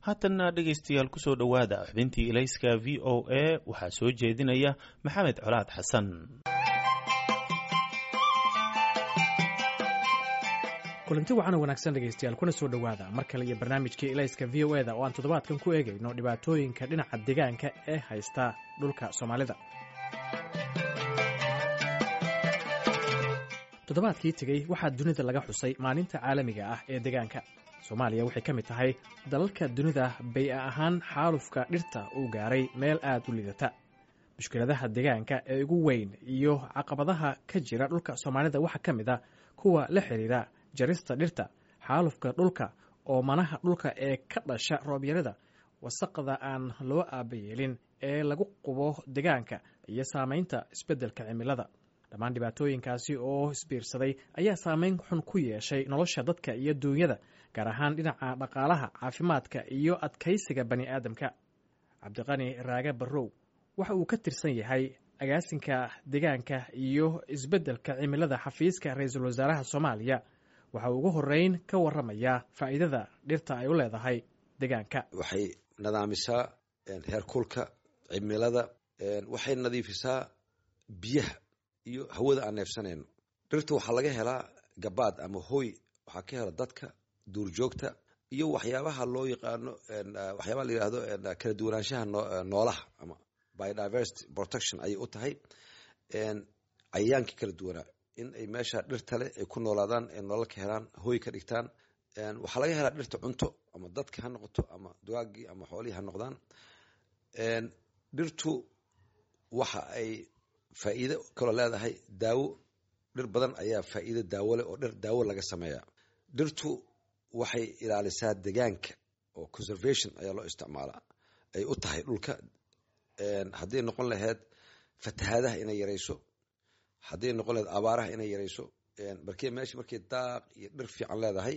Haatanna dhegaystayaal, kusoo dhowaada xubintii Ilayska VOA. Waxaa soo jeedinaya Maxamed Colaad Xasan. Kulanti wacan oo wanaagsan dhegaystayaal, kuna soo dhowaada mar kale iyo barnaamijkii Ilayska VOA da oo aan toddobaadkan ku eegayno dhibaatooyinka dhinaca deegaanka ee haysta dhulka Soomaalida. Toddobaadkii tegey waxaa dunida laga xusay Maalinta Caalamiga ah ee Deegaanka. Soomaaliya waxay ka mid tahay dalalka dunida bay-a ahaan xaalufka dhirta uu gaaray meel aad u liidata. Mushkiladaha deegaanka ee ugu weyn iyo caqabadaha ka jira dhulka Soomaalida waxaa ka mid a kuwa la xiriira jarista dhirta, xaalufka dhulka, oomanaha dhulka ee ka dhasha roobyarada, wasaqda aan loo aabayeelin ee lagu qubo deegaanka iyo saamaynta isbeddelka cimilada. Dhammaan dhibaatooyinkaasi oo isbiirsaday ayaa saameyn xun ku yeeshay nolosha dadka iyo duunyada, gaar ahaan dhinaca dhaqaalaha, caafimaadka iyo adkaysiga bani aadamka. Cabdiqani Raage Barrow waxa uu ka tirsan yahay agaasinka deegaanka iyo isbeddelka cimilada xafiiska ra-iisul wasaaraha Soomaaliya. Waxa uu ugu horeyn ka waramayaa faa'iidada dhirta ay u leedahay deegaanka. Waxay nadaamisaa heerkulka cimilada, waxay nadiifisaa biyaha iyo hawada aan neefsanayno. Dhirta waxaa laga helaa gabaad ama hooy, waxaa ka hela dadka, duurjoogta iyo waxyaabaha loo yaqaano, waxyaabaha la yihahdo kala duwanaanshaha noolaha ama biodiversity protection ayay u tahay. Cayayaankii kala duwanaa in ay meesha dhirta leh ay ku noolaadaan, ay nolol ka helaan, hooy ka dhigtaan. Waxaa laga helaa dhirta cunto, ama dadka ha noqoto ama dugaagii ama xoolihii ha noqdaan. Dhirtu waxa ay faa'iido kaloo leedahay daawo. Dhir badan ayaa faa'iido daawo leh oo dhir daawo laga sameeyaa. Dhirtu waxay ilaalisaa deegaanka oo conservation ayaa loo isticmaalaa ay u tahay dhulka, hadday noqon lahayd fatahaadaha inay yarayso, hadday noqon lahayd abaaraha inay yarayso. Markii meesha markay daaq iyo dhir fiican leedahay,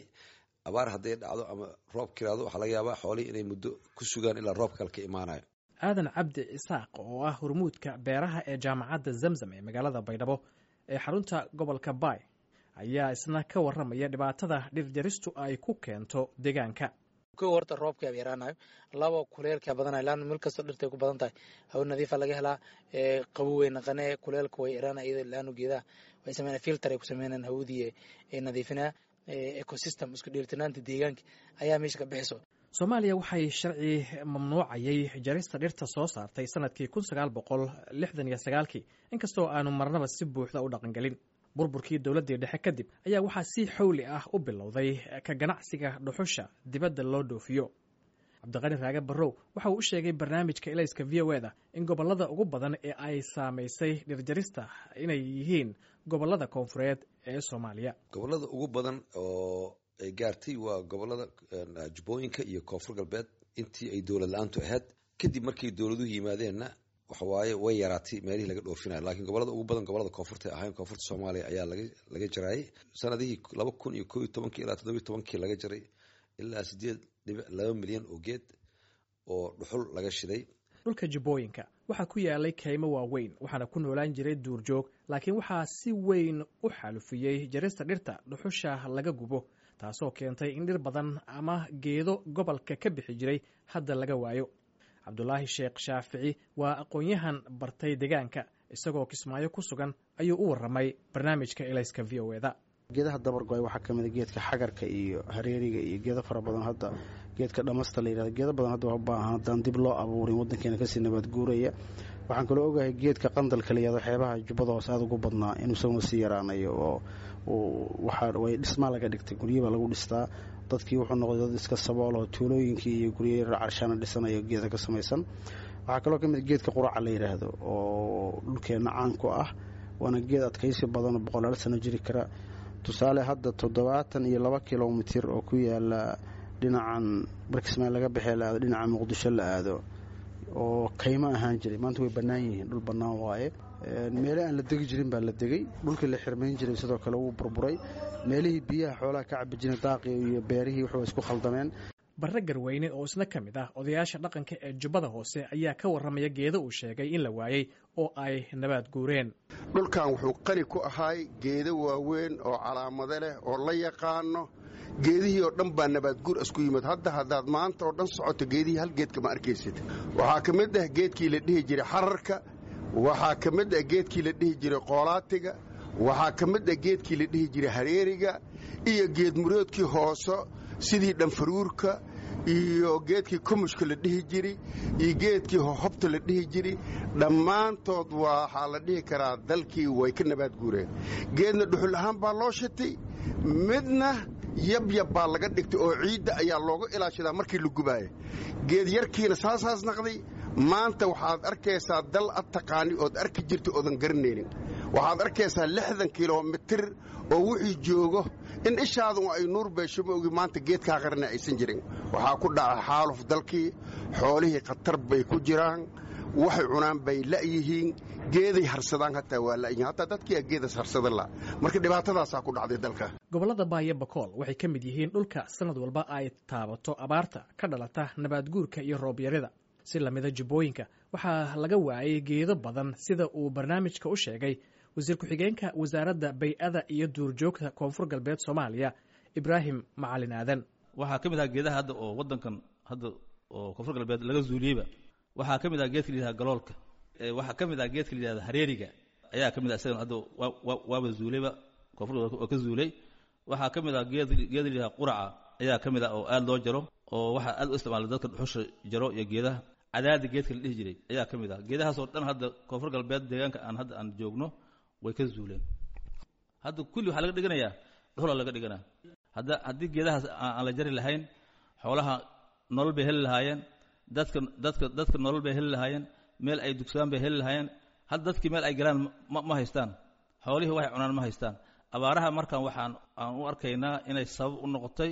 abaar hadday dhacdo ama roob kiraado, waxaa laga yaabaa xoolihii inay muddo ku sugaan ilaa roob kale ka imaanayo. Aadan Cabdi Isaaq oo ah hormuudka beeraha ee Jaamacadda Zamzam ee magaalada Baydhabo ee xarunta gobolka Baay ayaa isna ka warramaya dhibaatada dhirjaristu ay ku keento deegaanka. Kow, horta roobka yaraanayo. Labo, kuleelka badanayo, laanna meel kastoo dhirta ay ku badan tahay hawo nadiifa laga helaa, qabow way naqanee, kuleelka way yaraanaya iyadoo laanu geedaha way sameynaya filter ay ku sameynayaan, hawadii ay nadiifinaya, ecosystem isku dheelitiraanta deegaanka ayaa meesha ka bixiso. Soomaaliya waxay sharci mamnuucayay jarista dhirta soo saartay sanadkii 1969-kii, inkastoo aanu marnaba si buuxda u dhaqangelin. Burburkii dowladdii dhexe kadib ayaa waxaa si xowli ah u bilowday ka ganacsiga dhuxusha dibadda loo dhoofiyo. Cabdiqani Raage Barrow waxa uu u sheegay barnaamijka Ilayska VOA da in gobollada ugu badan ee ay saamaysay dhirjarista inay yihiin gobollada koonfureed ee Soomaaliya. Gobollada ugu badan oo ay gaartay waa gobollada Jubbooyinka iyo Koonfur Galbeed intii ay dowlad la-aantu ahayd. Kadib markay dowladuhu yimaadeenna, waxawaaye way yaraatay meelihii laga dhoofinayo, laakiin gobolada ugu badan gobolada koonfurta ahayn. Koonfurta Soomaaliya ayaa laga jaraayay sanadihii 2011-kii ilaa 17-kii laga jaray ilaa 8.2 milyan oo geed oo dhuxul laga shiday. Dhulka Jubbooyinka waxaa ku yaalay kaymo waaweyn, waxaana ku noolaan jiray duurjoog, laakiin waxaa si weyn u xaalufiyey jarista dhirta dhuxusha laga gubo, taasoo keentay in dhir badan ama geedo gobolka ka bixi jiray hadda laga waayo. Cabdulaahi Sheekh Shaafici waa aqoon-yahan bartay deegaanka. Isagoo Kismaayo ku sugan ayuu u warramay barnaamijka Ilayska VOA da. Geedaha dabargo-ay waxaa ka mid a geedka xagarka iyo hareeriga iyo geedo fara badan. Hadda geedka dhamasta la yihahdo, geedo badan hadda waa u baahan haddaan dib loo abuurin waddankeena kasii nabaad guuraya. Waxaan kaloo ogahay geedka qandalka la yihahdo, xeebaha Jubbada Hoose aada ugu badnaa, inuu isaguna sii yaraanayo oo waxaa way dhismaa laga dhigtay, guryabaa lagu dhistaa. Dadkii wuxuu noqday dad iska sabool oo tuulooyinkii iyo guryo yarar carshaana dhisanayo geeda ka samaysan. Waxaa kaloo ka mid geedka quraca la yidhaahdo oo dhulkeenna caan ku ah, waana geed adkaysi badan oo boqolaal sano jiri kara. Tusaale, hadda 72 kilomitir oo ku yaala dhinacan Barkismaayo laga baxee la aado dhinaca Muqdisho la aado oo kaymo ahaan jiray, maanta way bannaan yihiin, dhul bannaan waaye. Meele aan la degi jirin baa la degay. Dhulkii la xirmayn jiray sidoo kale wuu burburay. Meelihii biyaha xoolaha ka cabi jiren, daaqii iyo beerihii wuxuu isku khaldameen. Barre Garweyne oo isna ka mid ah odayaasha dhaqanka ee Jubbada Hoose ayaa ka warramaya geedo uu sheegay in la waayey oo ay nabaad guureen. Dhulkan wuxuu qani ku ahaay geedo waaweyn oo calaamado leh oo la yaqaano. Geedihii oo dhan baa nabaadguur isku yimid. Hadda haddaad maanta oo dhan socoto, geedihii hal geedka ma arkaysid. Waxaa ka mid ah geedkii la dhihi jiray xararka, waxaa ka mid ah geedkii la dhihi jiray qoolaatiga, waxaa ka mid ah geedkii la dhihi jiray hareeriga iyo geed muroodkii hooso sidii dhanfaruurka iyo geedkii kumushka la dhihi jiri iyo geedkii hohobta la dhihi jiri. Dhammaantood waxaa la dhihi karaa dalkii way ka nabaad guureen. Geedna dhuxul ahaan baa loo shitay, midna yabyab baa laga dhigtay oo ciidda ayaa looga ilaashadaa markii la gubaaya. Geed yarkiina saasaas naqday. Maanta waxaad arkaysaa dal ad taqaani ood arki jirta oodan garanaynin. Waxaad arkaysaa 60 kilomitir oo wixii joogo in ishaadu ay nuur beesho ma ogi, maanta geedkaa qarana aysan jirin. Waxaa ku dhaca xaaluf dalkii, xoolihii khatar bay ku jiraan, waxay cunaan bay la'yihiin, geeday harsadaan hataa waa la'yihiin, hataa dadkiiaa geedas harsada la. Marka dhibaatadaasaa ku dhacday dalka. Gobollada Baayo Bakool waxay ka mid yihiin dhulka sanad walba ay taabato abaarta ka dhalata nabaadguurka iyo roobyarida. Si lamida jubbooyinka waxaa laga waayay geedo badan, sida uu barnaamijka u sheegay wasiir ku-xigeenka wasaaradda bay-ada iyo duurjoogta Koonfur Galbeed Soomaaliya, Ibraahim Macalin Aadan. Waxaa ka mid aha geedaha hadda oo waddankan hadda oo Koonfur Galbeed laga zuuliyeyba, waxaa ka mid ah geedka la yidhahda galoolka, waxaa ka mid ah geedka la yidhahda hareeriga ayaa ka mid ah. Isagan hadda waaba zuulayba, Koonfur Galbeed waa ka zuulay. Waxaa ka mid ah geed la yidhahda quraca ayaa ka mid ah oo aad loo jaro, oo waxaa aad u isticmaala dadka dhuxusha jaro, iyo geedaha cadaadi geedka la dhihi jiray ayaa ka mid ah. Geedahaasoo dhan hadda Koonfur Galbeed deegaanka aan hadda aan joogno way ka zuuleen. Hadda kulli waxaa laga dhiganayaa dhuxula laga dhiganaa. Hadda haddii geedahaas aan la jari lahayn, xoolaha nolol bay heli lahaayeen, dadka nolol bay heli lahaayeen, meel ay dugsadaan bay heli lahaayeen. Hadda dadkii meel ay galaan ma haystaan, xoolihii waxay cunaan ma haystaan. Abaaraha markan waxaan aan u arkaynaa inay sabab u noqotay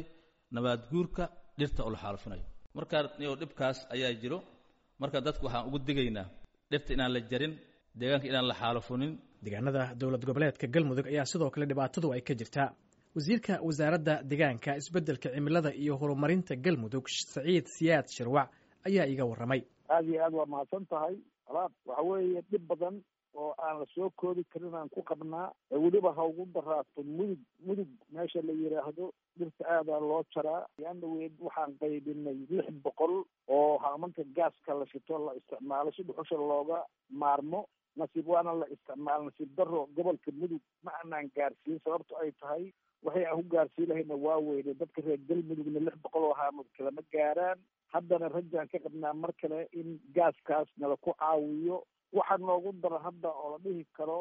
nabaad guurka dhirta oo la xaalufinayo. Marka dhibkaas ayaa jiro. Marka dadku waxaan ugu digaynaa dhirta inaan la jarin, deegaanka inaan la xaalufunin. Deegaanada dowlad goboleedka Galmudug ayaa sidoo kale dhibaatadu ay ka jirtaa. Wasiirka wasaaradda deegaanka, isbeddelka cimilada iyo horumarinta Galmudug, Saciid Siyaad Shirwac, ayaa iiga warramay. Aada iyo aad waa mahadsan tahay alaab. Waxa weeye dhib badan oo aan la soo koobi karin aan ku qabnaa, weliba ha ugu daraato Mudug. Mudug meesha la yidhaahdo dhirta aadaa loo jaraa. Yaana weyd waxaan qaybinay 600 oo haamanka gaaska la shito la isticmaalo si dhuxusha looga maarmo. Nasiib waana la isticmaalo, nasiib daro gobolka Mudug ma aanaan gaarsiin. Sababto ay tahay waxay aan ku gaarsiin lahayna waa weyne, dadka reer Galmudugna 600 oo haamad kalama gaaraan. Haddana rajaan ka qabnaa mar kale in gaaskaas nala ku caawiyo. Waxaa noogu daran hadda oo la dhihi karo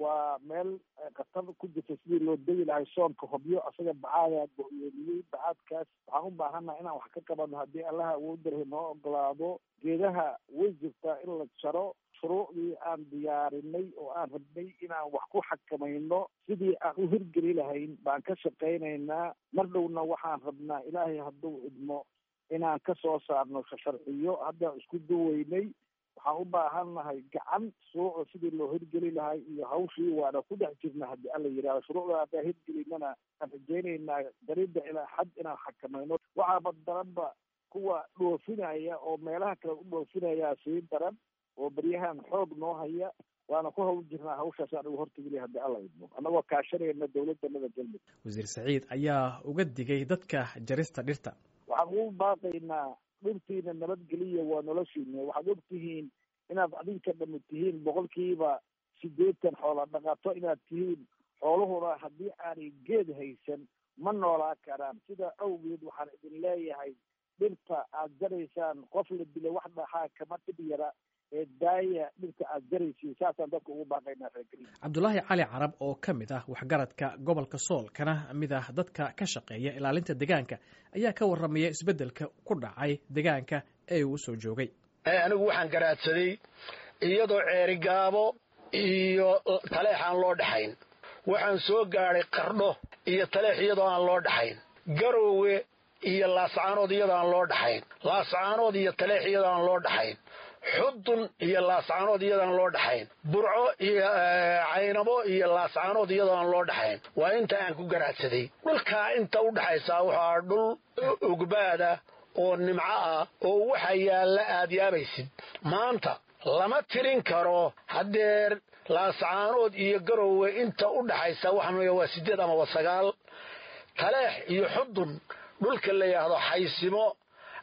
waa meel khatar ku jirta sidii loo degi lahay soonka Hobyo, asaga bacaadaa go-yoomiyey. Bacaadkaas waxaan u baahannaha inaan wax ka qabano haddii Allaha awood darhay noo ogolaado. Geedaha way jirtaa in la jaro. Shuruucdii aan diyaarinay oo aan rabnay inaan wax ku xakamayno sidii aan u hirgeli lahayn baan ka shaqaynaynaa. Mar dhowna waxaan rabnaa, Ilaahay hadduu idmo, inaan ka soo saarno sharciyo. Haddaan isku duweynay, waxaan u baahannahay gacan shuruucda sidii loo hirgeli lahay iyo hawshii waana ku dhex jirna haddii Alla yidhahdo. Shuruucda haddaan hirgelinana aan rajaynaynaa jaridda ilaa xad inaan xakamayno. Waxaaba daranba kuwa dhoofinaya oo meelaha kale u dhoofinaya sii daran oo beryahan xoog noo haya. Waana ku hawl jirnaa hawshaas aan ugu hortagilay haddii Alla idmo, annagoo kaashanayna dowladdanada Galmudug. Wasiir Saciid ayaa uga digay dadka jarista dhirta. Waxaan ugu baaqaynaa dhirtiina nabadgeliya, waa noloshiina. Waxaad ogtihiin inaad adinka dhami tihiin 80% xoola dhaqato inaad tihiin. Xooluhuna haddii aanay geed haysan ma noolaa karaan. Sidaa awgeed waxaan idin leeyahay dhirta aad jaraysaan, qof la dilo wax dhaxaa kama dhib yara ee daaya dhirta aad jaraysiin. Saasaan dadka ugu baaqaynaa reergeliya. Cabdulaahi Cali Carab oo ka mid ah waxgaradka gobolka Sool kana mid ah dadka ka shaqeeya ilaalinta deegaanka ayaa ka warramaya isbeddelka ku dhacay deegaanka ee uu soo joogay. Anigu waxaan garaadsaday iyadoo Ceerigaabo iyo Taleex aan loo dhaxayn. Waxaan soo gaadhay Qardho iyo Taleex iyadoo aan loo dhaxayn, Garoowe iyo Laascaanood iyadoo aan loo dhaxayn, Laascaanood iyo Taleex iyadoo aan loo dhaxayn, Xudun iyo Laascaanood iyadoo aan loo dhaxayn, Burco iyo Caynabo iyo Laascaanood iyadoo aan loo dhaxayn. Waa inta aan ku garaadsaday. Dhulkaa inta u dhaxaysaa waxaa dhul ugbaada oo nimco ah oo waxa yaalla aad yaabaysid. Maanta lama tirin karo. Haddeer Laascaanood iyo Garoowe inta u dhaxaysa waxaan waa 8 ama 9. Taleex iyo Xudun dhulka la yidhaahdo, Xaysimo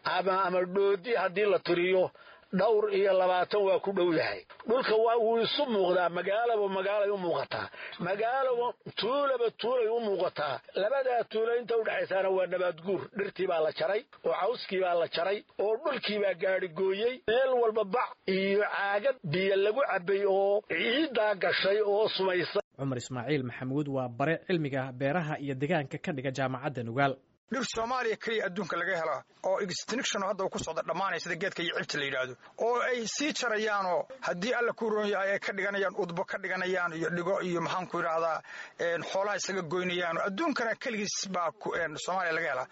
ama Dhoodi haddii la tiriyo, dhowr iyo labaatan waa ku dhow yahay. Dhulka waa wuu isu muuqdaa, magaalaba magaalay u muuqataa, magaalaba tuulaba tuulay u muuqataa. Labadaa tuulo inta udhexaysaana waa nabaadguur. Dhirtii baa la jaray oo cawskii baa la jaray oo dhulkii baa gaadhigooyey. Meel walba bac iyo caagad biyo lagu cabbay oo ciiddaa gashay oo sumaysa. Cumar Ismaaciil Maxamuud waa bare cilmiga beeraha iyo deegaanka ka dhiga Jaamacadda Nugaal. Dhir Soomaaliya keliya adduunka laga helaa oo extinction hadda uu ku socda dhammaanaya, sida geedka iyo cibta la yidhaahdo, oo ay sii jarayaanoo haddii Alla ku roon yahay ay ka dhiganayaan udbo, ka dhiganayaan iyo dhigo iyo, maxaan ku yidhaahdaa, xoolaha isaga goynayaan. Adduunkana keligiis baa Soomaaliya laga helaa.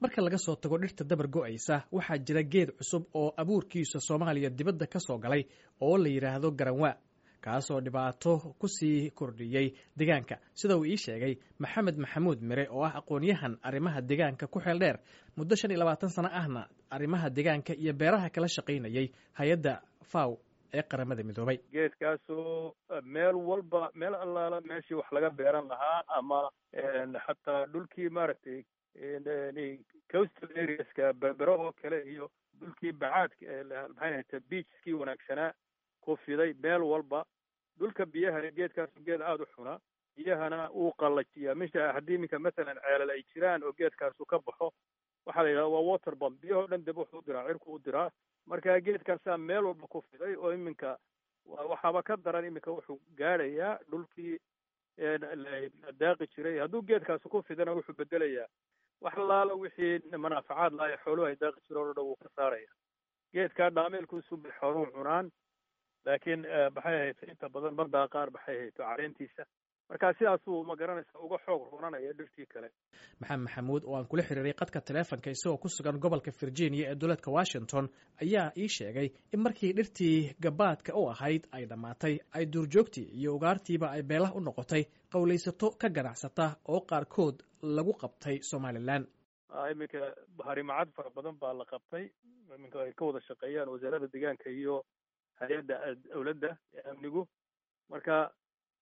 Marka laga soo tago dhirta dabar go'aysa, waxaa jira geed cusub oo abuurkiisa Soomaaliya dibadda ka soo galay oo la yidhaahdo garanwaa, kaasoo dhibaato ku sii kordhiyey deegaanka, sida uu ii sheegay Maxamed Maxamuud Mire oo ah aqoon-yahan arrimaha deegaanka ku xeel dheer, muddo 25 sano ahna arrimaha deegaanka iyo beeraha kala shaqaynayay hay-adda FAO ee Qaramada Midoobay. Geedkaasoo meel walba, meel allaala meeshii wax laga beeran lahaa ama xataa dhulkii, maaragtay, coastal areaska, Berbero oo kale iyo dhulkii bacaadka, maxay ahayte, beachkii wanaagsanaa ku fiday meel walba. Dhulka biyahana geedkaasu geed aada u xuna, biyahana wuu qallajiyaa. Misha haddii iminka masalan ceelal ay jiraan oo geedkaasu ka baxo, waxaa la yidhahda waa water bomb, biyahoo dhan deb wuxuu u diraa cirku u diraa. Marka geedkaasaa meel walba ku fiday oo iminka waxaaba ka daran, iminka wuxuu gaadhayaa dhulkii la daaqi jiray. Hadduu geedkaasu ku fidana, wuxuu bedelayaa wax laala wixii manaafacaad laha xooluhu ay daaqi jireen oo dhan wuu ka saaraya. Geedkaa dhaameelkuusu bay xooluhu cunaan, laakiin, maxay ahayd, inta badan ma daaqaan, maxay ahayd, caleentiisa. Marka sidaasuu, ma garanaysa, uga xoog runanaya dhirtii kale. Maxamed Maxamuud oo aan kula xiriiray qadka taleefonka isagoo ku sugan gobolka Virginia ee dowladka Washington ayaa ii sheegay in markii dhirtii gabaadka u ahayd ay dhammaatay, ay duurjoogtii iyo ugaartiiba ay beelah u noqotay qowlaysato ka ganacsata oo qaarkood lagu qabtay Somalilan. Iminka harimacad fara badan baa la qabtay, iminka ay ka wada shaqeeyaan Wasaaradda Deegaanka iyo hay-adda dowladda ee amnigu. Marka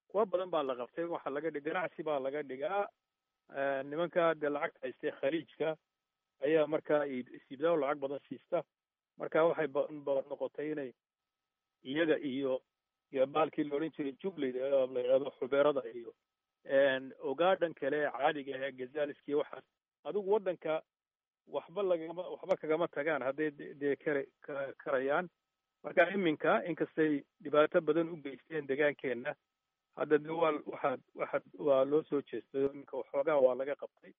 kuwa badan baa la qabtay, waxaa laga dhig ganacsi baa laga dhigaa. Nimanka dee lacagta haystay Khaliijka ayaa markaa siibdaa oo lacag badan siista. Marka waxay noqotay inay iyaga iyo baalkii la odhan jiray jubley la yidhahdo, xubeerada iyo ogaadhan kale ee caadiga ah ee gazaliski, waxaas adigu waddanka waxba lagama waxba kagama tagaan hadday dee kara karayaan. Marka iminka inkastay dhibaato badan u geysteen degaankeenna, hadda de waa waxaad waxaad waa loo soo jeestay oo iminka waxoogaa waa laga qabtay.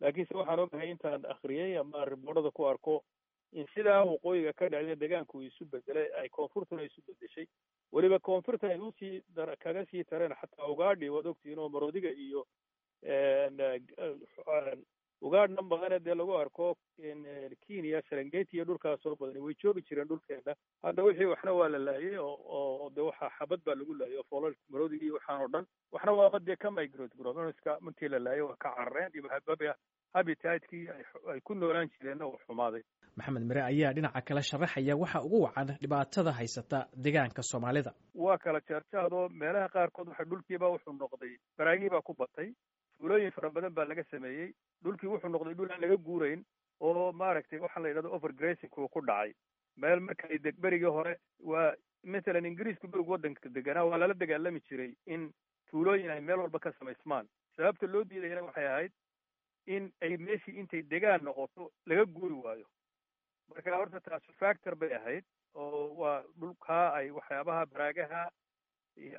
Laakiinse waxaan ogahay, intaan akhriyey ama riboorada ku arko, in sidaa waqooyiga ka dhacday degaanku isu bedelay, ay koonfurtuna isu bedeshay. Weliba koonfurta ay usii kaga sii tareen xataa ugaadhi, waad ogtihiin, oo maroodiga iyo ugaadhnan badane dee lagu arko Kenya, Serengeti iyo dhulkaas oo badani way joogi jireen dhulkeena. Hadda wixii waxna waa la laayay oo de waxa xabad baa lagu laayay oo foolal maroodigii waxaan oo dhan, waxna waaba dee ka migrate garoobeen, markii la laayay waa ka carareen iyo habitatkii ay ku noolaan jireenna uu xumaaday. Maxamed Mire ayaa dhinaca kale sharaxaya waxa ugu wacan dhibaatada haysata deegaanka Soomaalida. Waa kala jeerjaadoo meelaha qaarkood waxa dhulkiiba wuxuu noqday baraagii baa ku batay, tuulooyin fara badan baa laga sameeyey, dhulkii wuxuu noqday dhul aan laga guurayn oo, maaragtay, waxaa la yidhahdo overgrazing uu ku dhacay. Meel markay deg berigii hore, waa masalan Ingiriisku berigu waddanka deganaa, waa lala dagaalami jiray in tuulooyin ay meel walba ka samaysmaan. Sababta loo diidayana waxay ahayd in ay meeshii intay degaan noqoto laga guuri waayo. Marka horta taasu factor bay ahayd oo waa dhulkaa ay waxyaabaha baraagaha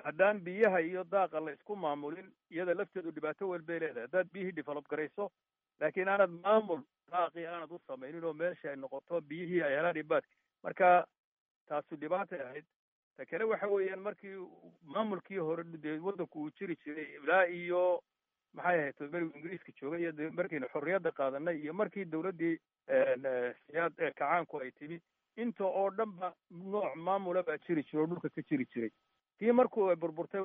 haddaan biyaha iyo daaqa la isku maamulin, iyada lafteedu dhibaato weyn bay leedahay. Haddaad biyihii develop garayso laakiin aanad maamul daaqii aanad u samaynin oo meesha ay noqoto biyihii ay helaan dhibaat, marka taasu dhibaatay ahayd. Ta kale waxa weeyaan, markii maamulkii hore dee waddanku uu jiri jiray ilaa iyo, maxay ahayd, berigu Ingiriiska joogay iyo markaynu xorriyadda qaadanay iyo markii dowladdii Siyaad kacaanku ay timi, inta oo dhan ba nooc maamula baa jiri jira oo dhulka ka jiri jiray. Tii markuu ay burburtay,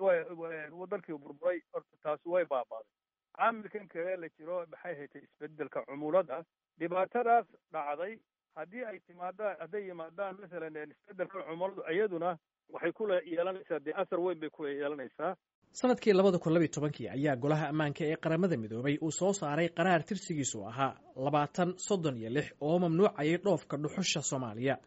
dalkii burburay, horta taasi way baabaaday. Caamilkan kale la jiro, maxay haytay, isbedelka cumulada, dhibaatadaas dhacday haddii ay timaadaan, hadday yimaadaan masalan isbedelka cumuladu, iyaduna waxay ku yeelanaysaa dee asar weyn bay ku yeelanaysaa. Sanadkii 2012-kii ayaa Golaha Ammaanka ee Qaramada Midoobay uu soo saaray qaraar tirsigiisu ahaa 2036 oo mamnuucayay dhoofka dhuxusha Soomaaliya.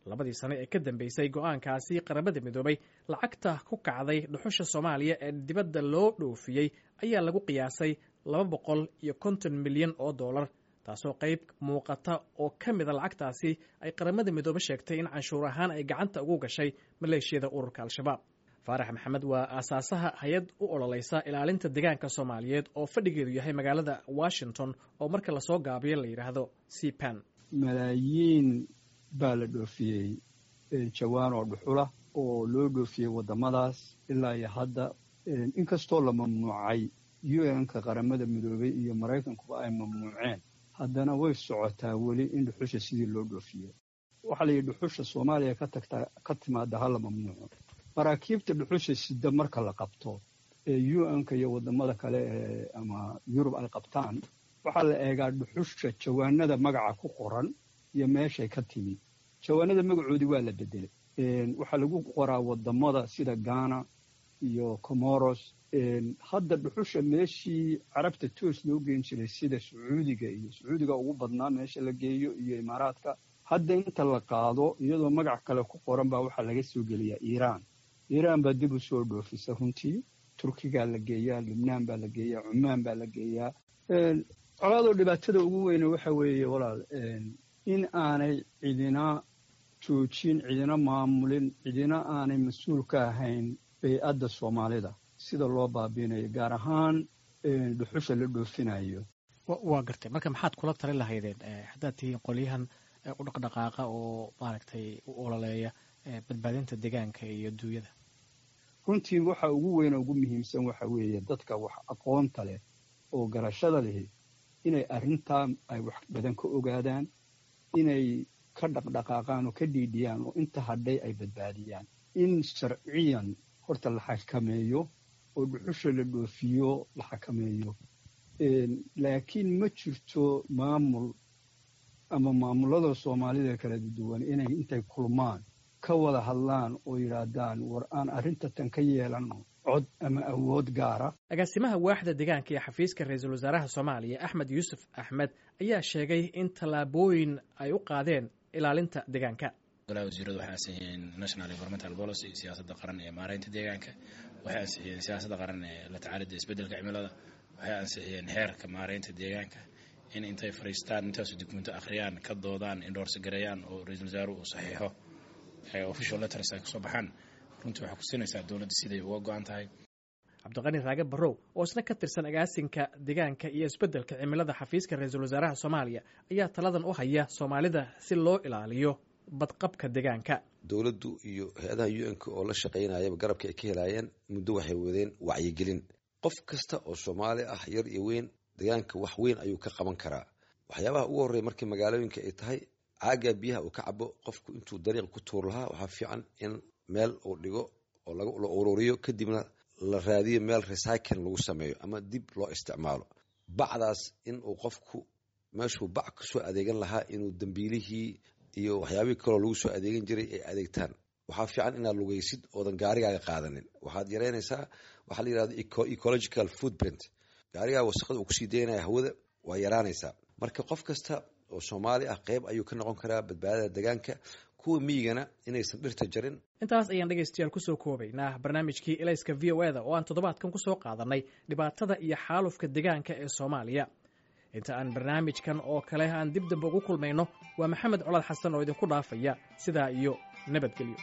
Labadii sane ee ka dambeysay go-aankaasi Qaramada Midoobay, lacagta ku kacday dhuxusha Soomaaliya ee dibadda loo dhoofiyey ayaa lagu qiyaasay 250 milyan oo dollar, taasoo qayb muuqata oo ka mida lacagtaasi ay Qaramada Midoobe sheegtay in canshuur ahaan ay gacanta ugu gashay maleeshiyada ururka Al-Shabaab. Faarax Maxamed waa aasaasaha hay-ad u ololeysa ilaalinta deegaanka Soomaaliyeed oo fadhigeedu yahay magaalada Washington, oo marka lasoo gaabiyo la yidhaahdo CPAN. Malaayiin baa la dhoofiyey jawaan oo dhuxula oo loo dhoofiyey waddamadaas ilaa iyo hadda, inkastoo la mamnuucay, UN-ka, Qaramada Midoobey iyo Maraykankuba ay mamnuuceen, haddana way socotaa weli in dhuxusha sidii loo dhoofiyo. Waxaa la yidhi dhuxusha Soomaaliya ka tagtaa ka timaada ha la mamnuuco. Maraakiibta dhuxusha sida marka la qabto ee UN-ka iyo waddamada kale ee ama Yurub ay qabtaan, waxaa la eegaa dhuxusha jawaanada magaca ku qoran iyo meeshay ka timi. Jawaanada magacoodii waa la bedelay, waxaa lagu qoraa wadamada sida Ghana iyo Comoros. Hadda dhuxusha meeshii Carabta toos loo geen jiray, sida Sacuudiga, iyo Sacuudiga ugu badnaa meesha la geeyo, iyo Imaaraadka, hadda inta la qaado iyadoo magac kale ku qoran baa waxaa laga soo geliyaa Iiraan. Iiraan baa dib u soo dhoofisa runtii. Turkigaa la geeyaa, Lubnaan baa la geeyaa, Cumaan baa la geeyaa. Colaadoo dhibaatada ugu weyne waxa weeye, walaal, in aanay cidina joojin, cidina maamulin, cidina aanay mas-uul ka ahayn bay-adda Soomaalida sida loo baabiinayo, gaar ahaan dhuxusha la dhoofinayo. Waa gartay. Marka maxaad kula talin lahaydeen haddaad tihiin qolyahan u dhaqdhaqaaqa oo maaragtay u ololeeya badbaadinta deegaanka iyo duunyada? Runtii waxa ugu weyn oo ugu muhiimsan waxa weeye dadka wax aqoonta leh oo garashada lihi inay arrintaa ay wax badan ka ogaadaan, inay ka dhaqdhaqaaqaan oo ka dhiidhiyaan oo inta hadhay ay badbaadiyaan, in sharciyan horta la xakameeyo oo dhuxusha la dhoofiyo la xakameeyo. Laakiin ma jirto maamul ama maamulada Soomaalida kala duwan inay intay kulmaan ka wada hadlaan oo yidhaahdaan, "War, aan arrinta tan ka yeelano cod ama awood gaara." Agaasimaha waaxda deegaanka ee xafiiska ra-iisul wasaaraha Soomaaliya, Axmed Yuusuf Axmed, ayaa sheegay in tallaabooyin ay u qaadeen ilaalinta deegaanka. Golaha wasiiradu waxay ansixiyeen National Environmental Policy, siyaasadda qaran ee maareynta deegaanka. Waxay ansixiyeen siyaasadda qaran ee la tacaalidda isbeddelka cimilada. Waxay ansixiyeen xeerka maareynta deegaanka. In intay fariistaan, intaasu dukumento akhriyaan, ka doodaan, endorse gareeyaan oo ra-iisul wasaaruhu uu saxiixo, official letters ay kasoo baxaan, runtii waxay ku siinaysaa dowladda siday uga go-an tahay. Cabdiqani Raage Barrow, oo isna ka tirsan agaasinka deegaanka iyo isbeddelka cimilada xafiiska ra-iisul wasaaraha Soomaaliya, ayaa taladan u haya Soomaalida si loo ilaaliyo badqabka deegaanka. Dowladdu iyo hay-adaha UN-ka oo la shaqaynayaba garabka ay ka helaayeen muddo waxay wadeen wacyigelin. Qof kasta oo Soomaali ah, yar iyo weyn, deegaanka wax weyn ayuu ka qaban karaa. Waxyaabaha ugu horreya markii magaalooyinka ay tahay, caaga biyaha uu ka cabo qofku intuu dariiq ku tuur lahaa, waxaa fiican in meel uu dhigo oo la ururiyo, kadibna la raadiyo meel recycling lagu sameeyo ama dib loo isticmaalo bacdaas. In uu qofku meeshuu bac kasoo adeegan lahaa inuu dambiilihii iyo waxyaabihii kaloo lagu soo adeegan jiray ay adeegtaan. Waxaa fiican inaad lugaysid oodan gaarigaaga qaadanin. Waxaad yareynaysaa waxaa la yirahdo ecological footprint. Gaarigaaga wasaqada uu kusii daynaya hawada waa yaraanaysaa. Marka qof kasta oo Soomaali ah qeyb ayuu ka noqon karaa badbaadada deegaanka, kuwa miyigana inaysan dhirta jarin. Intaas ayaan dhegaystayaal kusoo koobaynaa barnaamijkii Ilayska VOA-da oo aan toddobaadkan kusoo qaadanay dhibaatada iyo xaalufka deegaanka ee Soomaaliya. Inta aan barnaamijkan oo kale aan dib dambe ugu kulmayno, waa Maxamed Colaad Xasan oo idinku dhaafaya sidaa iyo nabadgelyo.